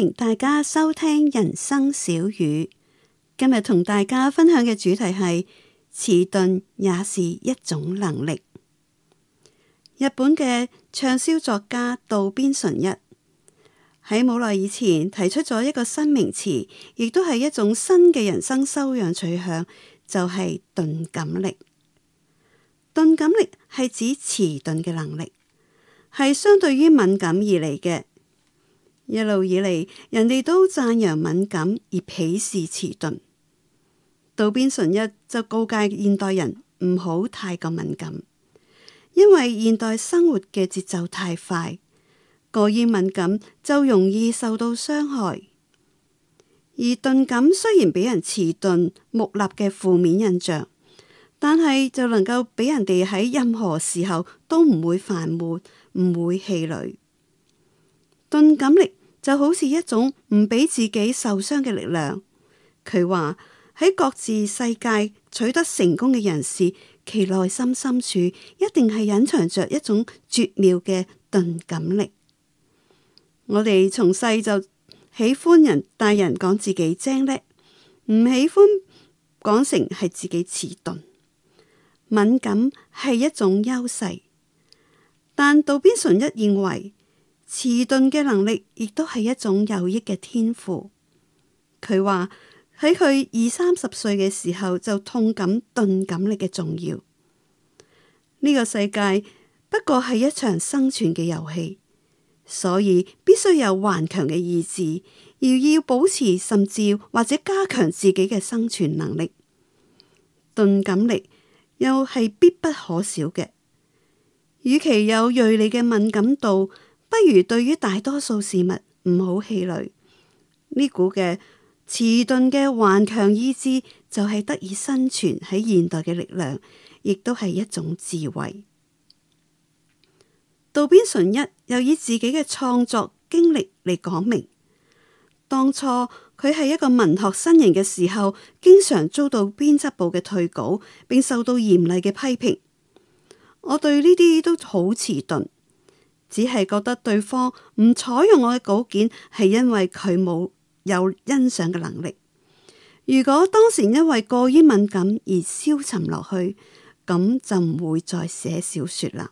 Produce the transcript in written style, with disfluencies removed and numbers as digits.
迎大家收聽人生小語。今日同大家分享嘅主題係遲鈍也是一種能力。日本嘅暢銷作家渡邊淳一喺冇耐以前提出咗一個新名詞，亦都係一種新嘅人生修養取向，就係鈍感力。鈍感力係指遲鈍嘅能力，係相對於敏感而嚟嘅。一路以嚟，人哋都讚揚敏感而鄙視遲鈍。渡邊淳一就告誡現代人唔好太過敏感，因為現代生活嘅節奏太快，過於敏感就容易受到傷害。而鈍感雖然俾人遲鈍木訥嘅負面印象，但係就能夠俾人哋喺任何時候都唔會煩悶，唔會氣餒。鈍感力就好似一種唔俾自己受傷嘅力量。佢話喺各自世界取得成功嘅人士，其內心深處一定係隱藏着一種絕妙嘅鈍感力。我哋從細就喜歡大人講自己精叻，唔喜歡講成係自己遲鈍。敏感係一種優勢，但渡邊淳一認為遲鈍嘅能力亦都係一種有益嘅天賦。佢話喺佢20-30歲嘅時候就痛感鈍感力嘅重要。呢個世界不過係一場生存嘅遊戲，所以必須有頑強嘅意志，而要保持甚至或者加強自己嘅生存能力。鈍感力又係必不可少嘅。與其有銳利嘅敏感度，不如對於大多數事物唔好氣餒。呢股嘅遲鈍嘅頑強意志就係得以生存喺現代嘅力量，亦都係一種智慧。渡邊淳一又以自己嘅創作經歷嚟講明，當初佢係一個文學新人嘅時候，經常遭到編輯部嘅退稿，並受到嚴厲嘅批評。我對呢啲都好遲鈍，只係覺得對方唔採用我嘅稿件係因為佢冇有欣賞嘅能力。如果當時因為過於敏感而消沉落去，咁就唔會再寫小說啦。